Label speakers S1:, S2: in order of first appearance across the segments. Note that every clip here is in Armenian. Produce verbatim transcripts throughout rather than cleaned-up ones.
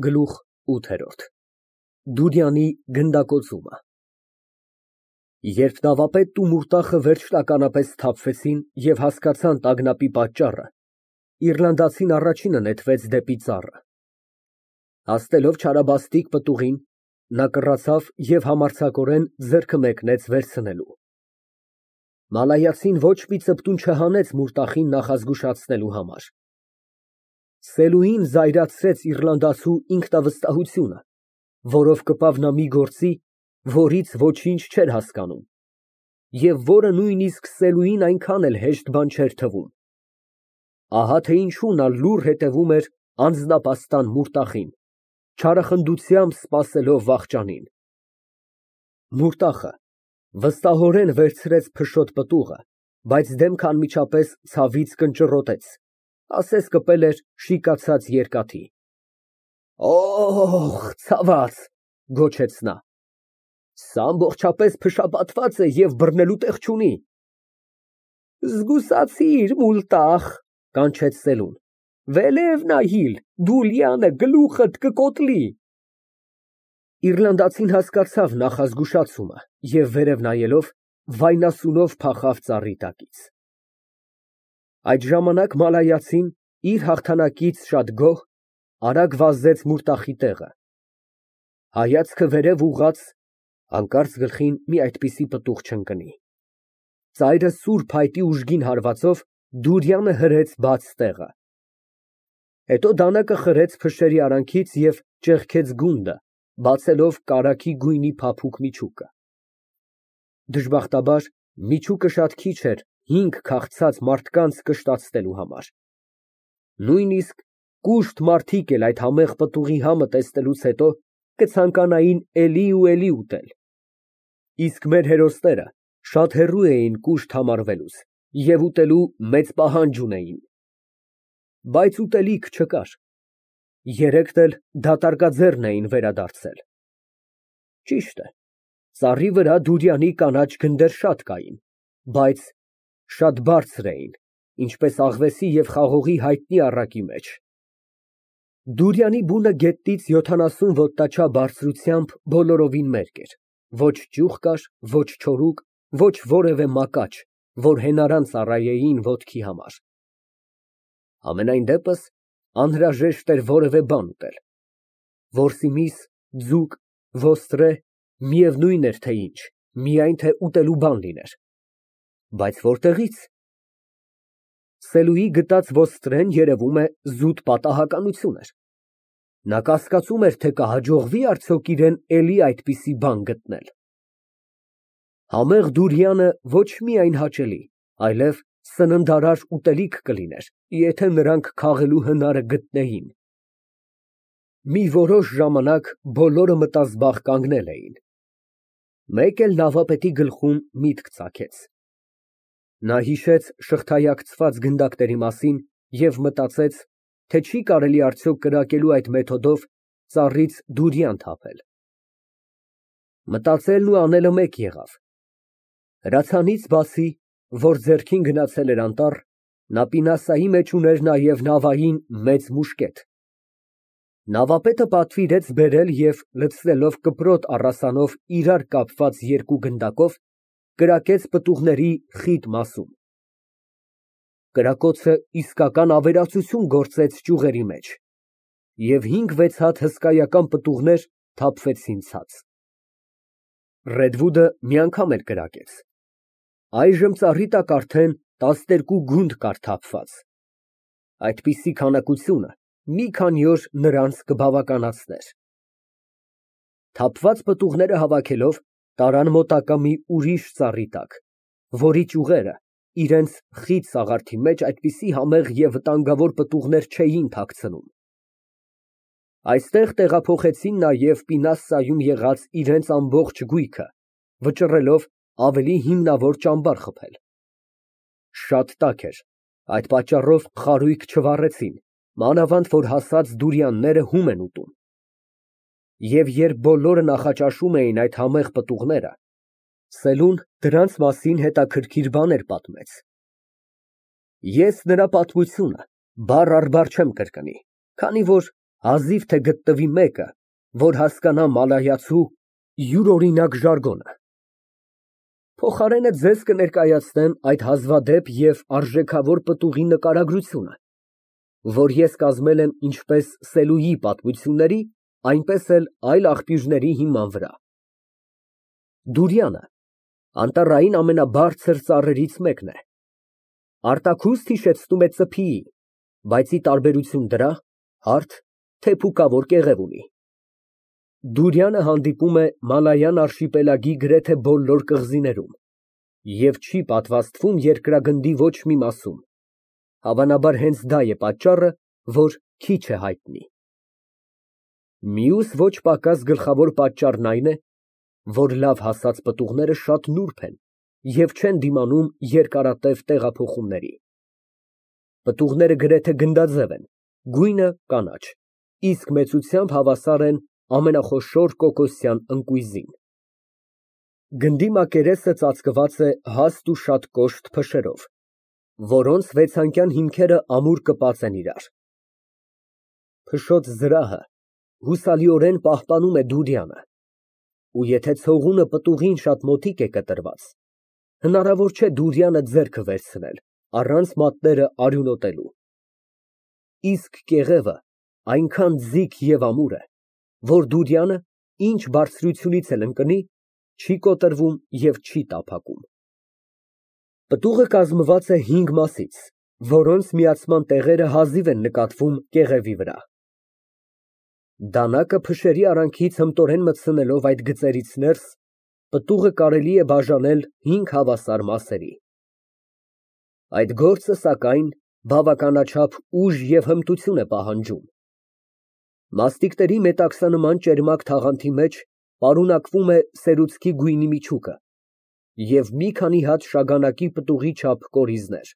S1: Գլուխ ութ Դուրյանի գնդակոծումը Երբ նավապետն ու Մուրտախը վերջնականապես սթափվեցին և հասկացան տագնապի պատճառը, իռլանդացին առաջինը նետվեց դեպի ծառը։ Հասնելով չարաբաստիկ պտուղին, նա կռացավ և համարձակորեն ձեռքը մեկնեց վերցնելու։ Մալայացին ոչ մի ծպտուն չհանեց Մուրտախին նախազգուշացնելու համար։ Սելուին զայրացրեց իռլանդացու ինքնավստահությունը, որով կպավ նա մի գործի, որից ոչինչ չէր հասկանում, և որը նույնիսկ Սելուին այնքան էլ հեշտ բան չէր թվում։ Ահա թե ինչու նա լուռ հետևում էր անձնապաստան Մուրտախին, չարախնդությամբ սպասելով վախճանին։ Մուրտախը վստահորեն վերցրեց փշոտ պտուղը, բայց դեմքը անմիջապես ցավից կնճռոտեց, ասես կպել էր շիկացած երկաթի։ Օհ, ցաված, գոչեց նա, սա ամբողջապես փշապատված է և բռնելու տեղ չունի։ Զգուշացիր, Մուրտախ, կանչեց Սելուն, վելև նայիր, Դուլյանը գլուխդ կկոտրի։ Իռլանդացին հասկացավ նախազգուշացումը և վերև նայելով, վայնասունով փախավ ծառի տակից։ Այդ ժամանակ մալայացին, իր հաղթանակից շատ գոհ, արագ վազեց Մուրտախի տեղը։ Հայացքը վերև ուղղած, հանկարծ գլխին մի այդպիսի պտուղ չընկնի։ Ծայրը սուր փայտի ուժգին հարվածով Դուրյանը հրեց բաց տեղը։ Հետո դանակը խրեց փշերի արանքից և ճեղքեց գունդը, բացելով կարագի գույնի փափուկ միջուկը։ Դժբախտաբար, միջուկը շատ քիչ էր հինգ քաղցած մարդկանց կշտացնելու համար։ Նույնիսկ կուշտ մարդիկ էլ այդ համեղ պտուղի համը տեսնելուց հետո կցանկանային էլի ու էլի ուտել։ Իսկ մեր հերոսները շատ հեռու էին կուշտ համարվելուց և ուտելու մեծ պահանջ ունեին։ Բայց ուտելիք չկար։ Երեքն էլ դատարկաձեռն էին վերադարձել։ Ճիշտ է, ծառի վրա Դուրյանի կանաչ գնդեր շատ կային, բայց շատ բարձր էին, ինչպես աղվեսի և խաղողի հայտնի առակի մեջ։ Դուրյանի բունը գետնից յոթանասուն ոտնաչափ բարձրությամբ բոլորովին մերկ էր, ոչ ճյուղ կար, ոչ չորուկ, ոչ որևէ մակաչ, որ հենարան ծառայեին ոտքի համար։ Համենայն դեպս, անհրաժեշտ էր որևէ բան ուտել։ Որսի միս, ձուկ, ոստրե, միևնույն էր թե ինչ, միայն թե ուտելու բան լիներ։ Բայց որտեղի՞ց։ Սելուի գտած ոստրեն, երևում է, զուտ պատահականություն էր։ Նա կասկածում էր, թե կհաջողվի՞ արդյոք իրան էլի այդպիսի բան գտնել։ Համեղ Դուրյանը ոչ միայն հաճելի, այլև սննդարար ուտելիք կլիներ, եթե նրանք քաղելու հնարը գտնեին։ Մի որոշ ժամանակ բոլորը մտազբաղ կանգնել էին։ Մեկ էլ նավապետի գլխում միտք ծագեց։ Նա հիշեց շղթայակցված գնդակների մասին և մտածեց, թե չի կարելի արդյոք կրակելու այդ մեթոդով ծառից դուրյան թափել։ Մտածելն ու անելը մեկ եղավ։ Հրացանից բացի, որ ձեռքին գնացել էր անտառ, նա պինասայի մեջ ուներ նաև նավային մեծ մուշկետ։ Նավապետը պատվիրեց բերել և, լցնելով կպրոտ առասանով իրար կապված երկու գնդակով, կրակեց պտուղների խիտ մասում։ Կրակոցը իսկական ավերածություն գործեց ճյուղերի մեջ, և հինգ֊վեց հատ հսկայական պտուղներ թափվեցին ցած։ Ռեդվուդը մի անգամ էլ կրակեց։ Այժմ ծառի տակ արդեն տասներկու գունդ կար թափված։ Այդպիսի քանակությունը մի քանի օր նրանց կբավականացներ։ Թափված պտուղները հավաքելով, տարան մոտակա մի ուրիշ ծառի տակ, որի ճյուղերը իրենց խիտ սաղարթի մեջ այդպիսի համեղ և վտանգավոր պտուղներ չէին թաքցնում։ Այստեղ տեղափոխեցին նաև պինասայում եղած իրենց ամբողջ գույքը, վճռելով ավելի հիմնավոր ճամբար խփել։ Շատ տաք էր, այդ պատճառով խարույկ չվառեցին, մանավանդ որ հասած դուրյանները հում են ուտում։ Եվ երբ բոլորը նախաճաշում էին այդ համեղ պտուղները, Սելուն դրանց մասին հետաքրքիր բաներ պատմեց։ Ես նրա պատմությունը բառ առ բառ չեմ կրկնի, քանի որ Հազիվ թե գտնվի մեկը, որ հասկանա մալայացու յուրօրինակ ժարգոնը։ Փոխարենը ձեզ կներկայացնեմ այդ հազվադեպ և արժեքավոր պտուղի նկարագրությունը, որ ես կազմել եմ ինչպես Սելուի պատմությունների, այնպես էլ այլ աղբյուրների հիման վրա։ Դուրյանը անտառային ամենաբարձր ծառերից մեկն է, արտաքուստ հիշեցնում է ծփիի, բայց ի տարբերություն դրա, հարթ, թեփուկավոր կեղև ունի։ Դուրյանը հանդիպում է Մալայան արշիպելագի գրեթե բոլոր կղզիներում և չի պատվաստվում երկրագնդի ոչ մի մասում, հավանաբար հենց դա է պատճառը, որ քիչ է հայտնի։ Մյուս ոչ պակաս գլխավոր պատճառն այն է, որ լավ հասած պտուղները շատ նուրբ են և չեն դիմանում երկարատև տեղափոխումների։ Պտուղները գրեթե գնդաձև են, գույնը կանաչ, իսկ մեծությամբ հավասար են ամենախոշոր կոկոսյան ընկույզին։ Գնդի մակերեսը ծածկված է հաստ ու շատ կոշտ փշերով, որոնց վեցանկյան հիմքերը ամուր կպած են իրար։ Փշոտ զրահը հուսալիորեն պահպանում է Դուրյանը, ու եթե ցողունը պտուղին շատ մոտիկ է կտրված, հնարավոր չէ Դուրյանը ձեռքը վերցնել, առանց մատները արյունոտելու։ Իսկ կեղևը այնքան ձիգ և ամուր է, որ Դուրյանը, ինչ բարձրությունից էլ ընկնի, չի կոտրվում և չի տափակում։ Պտուղը կազմված է հինգ մասից, որոնց միացման տեղերը հազիվ են նկատվում կեղևի վրա։ Դանակը փշերի արանքից հմտորեն մտցնելով այդ գծերից ներս, պտուղը կարելի է բաժանել հինգ հավասար մասերի։ Այդ գործը, սակայն, բավականաչափ ուժ և հմտություն է պահանջում։ Մաստիկների մետաքսանման ճերմակ թաղանթի մեջ պարունակվում է սերուցքի գույնի միջուկը և մի քանի հատ շագանակի պտուղի չափ կորիզներ։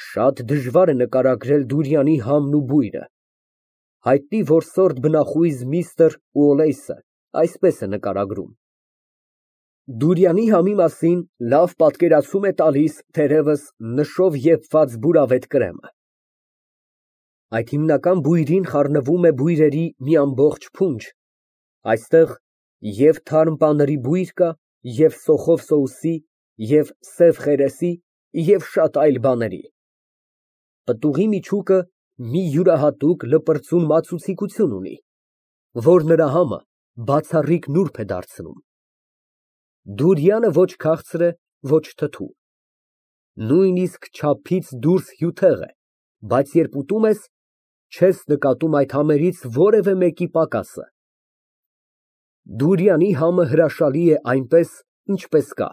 S1: Շատ դժվար է նկարագրել Դուրյանի համն ու բույրը։ Հայտնի որսորդ բնախույզ միստր Ուոլեյսը այսպես է նկարագրում. Դուրյանի համի մասին լավ պատկերացում է տալիս թերևս նշով եփված բուրավետ կրեմը։ Այդ հիմնական բույրին խառնվում է բույրերի մի ամբողջ փունջ, այստեղ և թարմ պաների բույր կա, և սոխով սոուսի, և սև խերեսի, և շատ այլ բաների։ Պտուղի միջուկը մի յուրահատուկ լպրծուն մածուցիկություն ունի, որ նրա համը բացառիկ նուրբ է դարձնում։ Դուրյանը ոչ քաղցր է, ոչ թթու, նույնիսկ չափից դուրս հյութեղ է, բայց երբ ուտում ես, չես նկատում այդ համերից որևէ մեկի պակասը։ Դուրյանի համը հրաշալի է այնպես, ինչպես կա.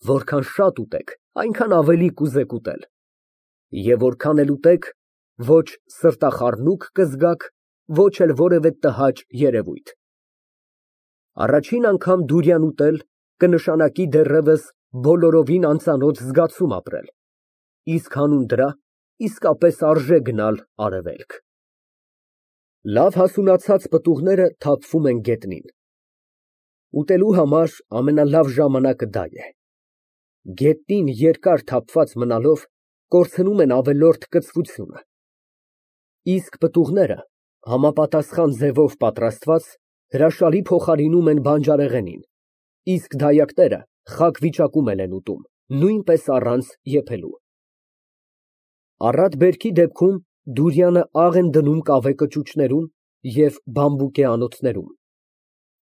S1: որքան շատ ուտեք, այնքան ավելի կուզեք ուտել, և որքան էլ ուտեք, ոչ սրտախառնուրդ կզգաք, ոչ էլ որևէ տհաճ երևույթ։ Առաջին անգամ դուրյան ուտել կնշանակի դեռևս բոլորովին անծանոթ զգացում ապրել, իսկ հանուն դրա իսկապես արժե գնալ արևելք։ Լավ հասունացած պտուղները թափվում են գետնին։ Ուտելու համար ամենալավ ժամանակը դա է։ Գետնին երկար թափված մնալով կորցնում են ավելորդ կծվությունը։ Իսկ պտուղները, համապատասխան ձևով պատրաստված, հրաշալի փոխարինում են բանջարեղենին, իսկ դայակները խաք վիճակում են ուտում, նույնպես առանց եփելու։ Առատ բերքի դեպքում Դուրյանը աղ են դնում կավե կճուճներում և բամբուկե անոթներում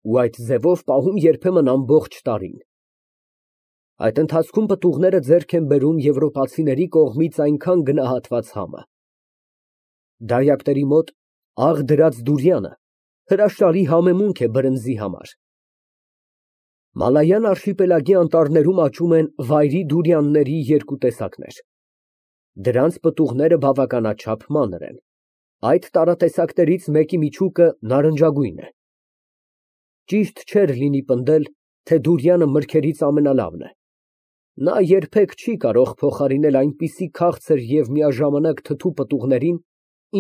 S1: ու այդ ձևով պահում երբեմն ամբողջ տարին։ Այդ ընթացքում պտուղները ձեռք են բերում եվրոպացիների կողմից այնքան գնահատված համը։ Դայակների մոտ աղ դրած դուրյանը հրաշալի համեմունք է բրնձի համար։ Մալայան արշիպելագի անտառներում աճում են վայրի դուրյանների երկու տեսակներ։ Դրանց պտուղները բավականաչափ մանր են։ Այդ տարատեսակներից մեկի միջուկը նարնջագույն է։ Ճիշտ չէր լինի պնդել, թե դուրյանը մրգերից ամենալավն է։ Նա երբեք չի կարող փոխարինել այնպիսի քաղցր և միաժամանակ թթու պտուղներին,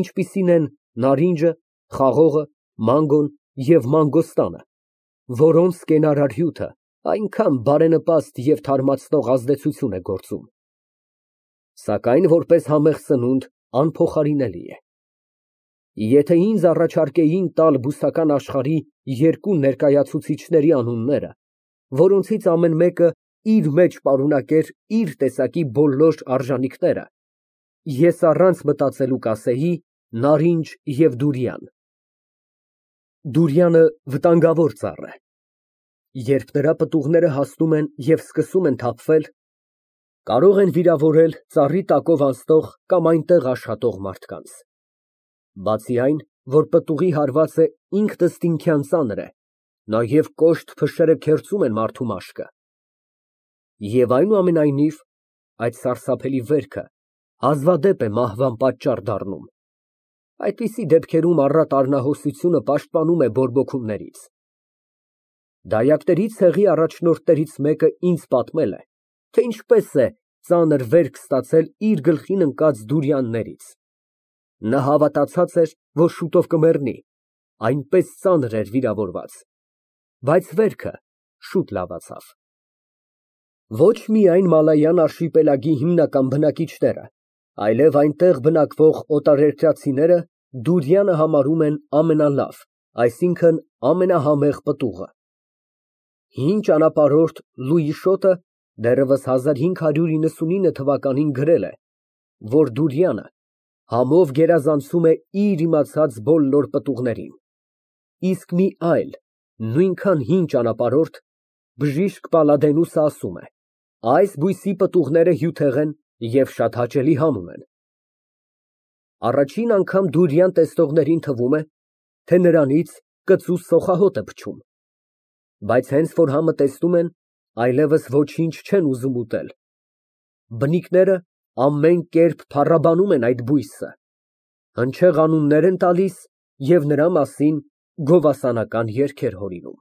S1: ինչպիսին են նարինջը, խաղողը, մանգոն և մանգոստանը, որոնց կենարար հյութը այնքան բարենպաստ և թարմացնող ազդեցություն է գործում, սակայն որպես համեղ սնունդ անփոխարինելի է։ Եթե ինձ առաջարկեին տալ բուսական աշխարհի երկու ներկայացուցիչների անունները, որոնցից ամեն մեկը իր մեջ պարունակեր իր տեսակի բոլոր արժանինքները, ես առանց մտածելու կասեի նարինջ և դուրիան։ Դուրյանը վտանգավոր ծառ է։ Երբ նրա պտուղները հասնում են և սկսում են թափվել, կարող են վիրավորել ծառի տակով անցնող կամ այնտեղ աշխատող մարդկանց։ Բացի այն, որ պտուղի հարվածը ինքնըստինքյան ծանր է, նաև կոշտ փշերը քերծում են մարդու մաշկը։ Եվ այնուամենայնիվ, այդ սարսափելի վերքը հազվադեպ է մահվան պատճառ դառնում։ Այդպիսի դեպքերում առատ արնահոսությունը պաշտպանում է բորբոքումներից։ Դայակների ցեղի առաջնորդներից մեկը ինձ պատմել է, թե ինչպես է ծանր վերք ստացել իր գլխին ընկած դուրյաններից։ Նա հավատացած էր, որ շուտով կմեռնի, այնպես ծանր էր վիրավորված, բայց վերքը շուտ լավացավ։ Ոչ միայն Մալայան արշիպելագի հիմնական բնակիչները, այլև այնտեղ բնակվող օտարերկրացիները Դուրյանը համարում են ամենալավ, այսինքն ամենահամեղ պտուղը։ Հին ճանապարհորդ Լուի Շոտը դեռևս հազար հինգ հարյուր իննսունինը թվականին գրել է, որ Դուրյանը համով գերազանցում է իր իմացած բոլոր պտուղներին, իսկ մի այլ, նույնքան հին ճանապարհորդ Բժիշկ Պալադենուսը ասում է. այս բույսի պտուղները հյութեղ են և շատ հաճելի համ ունեն։ Առաջին անգամ դուրյան տեսնողներին թվում է, թե նրանից կծու սոխահոտ է փչում, բայց հենց որ համը տեսնում են, այլևս ոչինչ չեն ուզում ուտել։ Բնիկները ամեն կերպ փառաբանում են այդ բույսը, հնչեղ անուններ են տալիս և նրա մասին գովասանական երգեր հորինում։